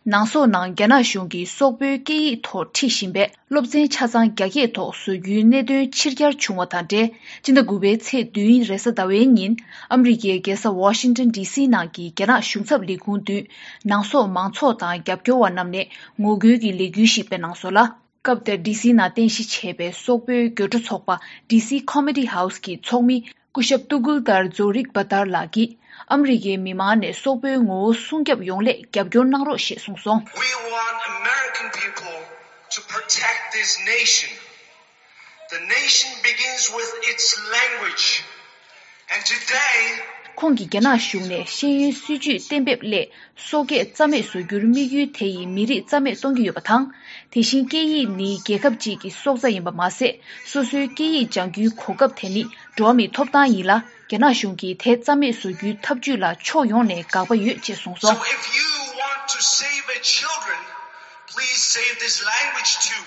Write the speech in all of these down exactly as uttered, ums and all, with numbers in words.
ནང་སོག་ནང་རྒྱ་ནག་གཞུང་གིས་སོག་པོའི་སྐད་ཡིག་ཐོག་ཁྲིད་བཞིན་པའི་སློབ་ཚན་ཆ་ཚང་རྒྱ་སྐད་ཐོག་བཟོ་རྒྱུའི་གནད་དོན་ཕྱིར་གྱར་བྱུང་བ་དང་འབྲེལ། སྤྱི་ཟླ་དགུ་པའི་ཚེས་བདུན་རེས་གཟའ་ཟླ་བའི་ཉིན། ཨ་མི་རི་ཀའི་རྒྱལ་ས་ཝ་ཤིང་ཊོན་ཌི་སི་ནང་གི་རྒྱ་ནག་གཞུང་ཚབ་ལས་ཁུངས་མདུན། ནང་སོག་མང་ཚོགས་དང་རྒྱབ་སྐྱོར་བ་རྣམས་ནས་ངོ་རྒོལ་གྱི་ལས་འགུལ་ཞིག་སྤེལ་གནང་སོང་ལ། སྐབས་དེར་ཌི་སི་ནང་རྟེན་གཞི་བྱས་པའི་སོག་པོའི་སྒྱུར་སྒྲོག་ཚོགས་པ་ཌི་སི་ཁོ་མེ་ཌི་ཧའུ་སི་གི་ཚོགས་མི། སྐུ་ཞབས་ཏུ་གུལ་ཏར་ཛོ་རིག་བ་ཏར་ལགས་ཀྱིས། ཨ་མི་རི་ཀའི་མི་མང་ནས་སོག་པོའི་ངོ་བོ་སྲུང་སྐྱོབ་ཡོང་སླད་རྒྱབ་སྐྱོར་གནང་རོགས་ཞེས་གསུངས་སོང་། We want American people to protect this nation. The nation begins with its language. And today, ཁོང་གིས་རྒྱ་ནག་གཞུང་ནས་ཤེས་ཡོན་སྲིད་ཇུས་གཏན་འབེབས་སླད། སོག་སྐད་རྩ་མེད་བཟོ་རྒྱུར་དམིགས་ཡུལ་དེ་ཡིས་མི་རིགས་རྩ་མེད་གཏོང་གི་ཡོད་པ་དང་། དེ་བཞིན་སྐད་ཡིག་ནི་རྒྱལ་ཁབ་ཅིག་གི་སྲོག་རྩ་ཡིན་པ་མ་ཟད། སོ་སོའི་སྐད་ཡིག་སྦྱང་རྒྱུའི་གོ་སྐབས་དེ་ནི་འགྲོ་བ་མིའི་ཐོབ་ཐང་ཡིན་ལ། རྒྱ་ནག་གཞུང་གིས་དེ་རྩ་མེད་བཟོ་རྒྱུའི་ཐབས་ཇུས་ལ་ཕྱོགས་ཡོངས་ནས་དགག་པ་ཡོད་ཅེས་གསུངས་སོང་། So if you want to save our children, please save this language too.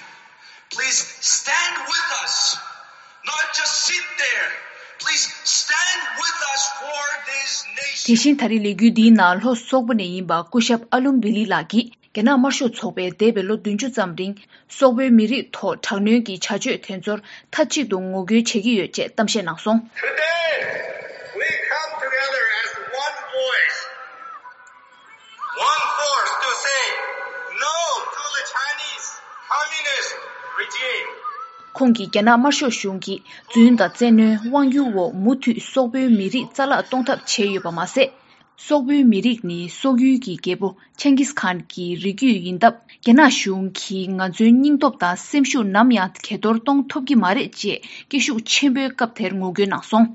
Please stand with us. Not just sit there. Please stand with us for this nation. དེ་བཞིན་ད་རེས་ལས་འགུལ་འདིའི་ནང་ལྷོ་སོག་པོ་ནས་ཡིན་པ་སྐུ་ཞབས་ཨ་ལུམ་བི་ལི་ལགས་ཀྱིས། རྒྱ་ནག་དམར་ཤོག་ཚོགས་པས་འདས་པའི་ལོ་བདུན་ཅུ་ཙམ་རིང་། སོག་པོའི་མི་རིགས་ཐོག་དྲག་གནོན་གྱི་བྱ་སྤྱོད་དེ་ཚོར་མཐའ་གཅིག་ཏུ་ངོ་རྒོལ་བྱེད་ཀྱི་ཡོད་ཅེས་གཏམ་བཤད་གནང་སོང་། Today, we come together as one voice, one force to say no to the Chinese communist regime. ཁོང་གིས་རྒྱ་ནག་དམར་ཤོག་གཞུང་གིས་རྫུན་དང་བཙན་གནོན་དབང་སྒྱུར་འོག་མུ་མཐུད་སོག་པོའི་མི་རིགས་རྩ་བརླག་གཏོང་ཐབས་བྱས་ཡོད་པ་མ་ཟད། སོག་པོའི་མི་རིགས་ནི་སོག་ཡུལ་གྱི་རྒྱལ་པོ་ཆེང་གིས་ཁཱན་གྱི་རིགས་རྒྱུད་ཡིན་སྟབས། རྒྱ་ནག་གཞུང་གིས་ང་ཚོའི་སྙིང་སྟོབས་དང་སེམས་ཤུགས་ནམ་ཡང་གྱེས་གཏོར་གཏོང་ཐུབ་ཀྱི་མ་རེད་ཅེས་སྐད་ཤུགས་ཆེན་པོས་སྐབས་དེར་ངོ་རྒོལ་གནང་སོང་།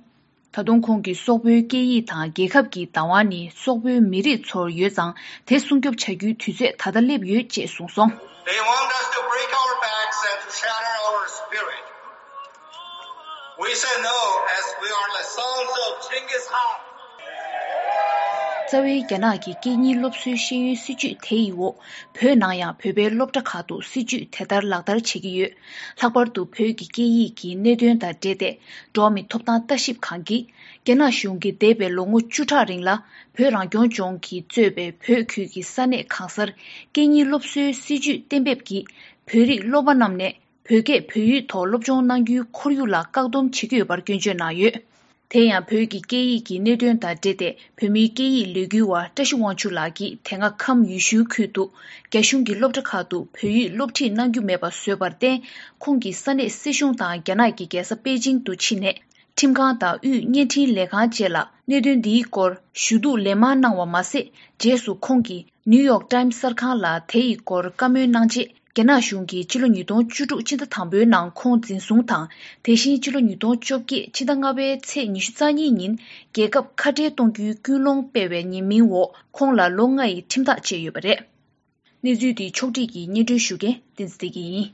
ད་དུང་ཁོང་གིས་སོག་པོའི་སྐད་ཡིག་དང་རྒྱལ་ཁབ་ཀྱི་བདག་དབང་ནི་སོག་པོའི་མི་རིགས་ཚོར་ཡོད་ཙང་། དེ་སྲུང་སྐྱོབ་བྱ་རྒྱུའི་དུས་ཚོད་ད་ལྟ་སླེབས་ཡོད་ཅེས་གསུངས་སོང་། They want us to break our backs and to shatter our spirit. We say no as we are the sons of Genghis Khan. རྩ་བའི་རྒྱ་ནག་གི་སྐད་གཉིས་སློབ་གསོའི་ཤེས་ཡོན་སྲིད་ཇུས་དེ་ཡི་འོག་བོད་ནང་ཡང་བོད་པའི་སློབ་གྲྭ་ཁག་ཏུ་སྲིད་ཇུས་དེ་ལྟར་ལག་བསྟར་བྱེད་ཀྱི་ཡོད། ལྷག་པར་དུ་བོད་ཀྱི་སྐད་ཡིག་གི་གནད་དོན་དང་འབྲེལ་ཏེ། འགྲོ་བ་མིའི་ཐོབ་ཐང་ལྟ་ཞིབ་ཁང་གིས། རྒྱ་ནག་གཞུང་གིས་འདས་པའི་ལོ་ངོ་བཅུ་ཕྲག་རིང་ལ། བོད་རང་སྐྱོང་ལྗོངས་ཀྱིས་གཙོས་པའི་བོད་ཁུལ་གྱི་ས་གནས་གང་སར། སྐད་གཉིས་སློབ་གསོའི་སྲིད་ཇུས་གཏན་འབེབས་ཀྱིས། བོད་རིགས་སློབ་མ་རྣམས་ནས། བོད་སྐད་བོད་ཡིག་ཐོག་སློབ་སྦྱོང་གནང་རྒྱུའི་ཁོར་ཡུག་ལ་བཀག་སྡོམ་བྱེད་ཀྱི་ཡོད་པར་སྐྱོན་བརྗོད་གནང་ཡོད། དེ་ཡང་བོད་ཀྱི་སྐད་ཡིག་གི་གནད་དོན་དང་འབྲེལ་ཏེ། བོད་མིའི་སྐད་ཡིག་ལས་འགུལ་བ་བཀྲ་ཤིས་དབང་ཕྱུག་ལགས་ཀྱིས་དེ་སྔ་ཁམས་ཡུལ་ཤུལ་ཁུལ་དུ། རྒྱ་གཞུང་གི་སློབ་གྲྭ་ཁག་ཏུ་བོད་ཡིག་སློབ་ཁྲིད་གནང་རྒྱུ་མེད་པ་བཟོས་པར་བརྟེན། ཁོང་གིས་ས་གནས་སྲིད་གཞུང་དང་རྒྱ་ནག་གི་རྒྱལ་ས་པེ་ཅིང་དུ་ཕྱིན་ནས། ཁྲིམས་ཁང་དང་དབུས་བརྙན་འཕྲིན་ལས་ཁང་བཅས་ལ་གནད་དོན་འདིའི་སྐོར་ཞུ་གཏུག་ལན་མང་གནང་བ་མ་ཟད། རྗེས་སུ་ཁོང་གིས་ནིའུ་ཡོག་ཊའིམ་གསར་ཁང་ལ་དེ་ཡི་སྐོར་བཀའ་མོལ་གནང་རྗེས། རྒྱ་ནག་གཞུང་གིས་ཕྱི་ལོ་ཉིས་སྟོང་བཅུ་དྲུག་ཕྱི་ཟླ་དང་པོའི་ནང་ཁོང་འཛིན་བཟུང་དང་། དེ་བཞིན་ཕྱི་ལོ་ཉིས་སྟོང་བཅོ་བརྒྱད་ཕྱི་ཟླ་ལྔ་པའི་ཚེས་ཉི་ཤུ་རྩ་གཉིས་ཉིན། རྒྱལ་ཁབ་ཁ་བྲལ་གཏོང་རྒྱུའི་ཀུན་སློང་སྤེལ་བའི་ཉེས་མིང་འོག་ཁོང་ལ་ལོ་ལྔ་ཡི་ཁྲིམས་ཐག་བཅད་ཡོད་པ་རེད། གནས་ཚུལ་འདི་ཕྱོགས་སྒྲིག་གིས་སྙན་སྒྲོན་ཞུ་མཁན་བསྟན་འཛིན་བདེ་སྐྱིད་ཡིན།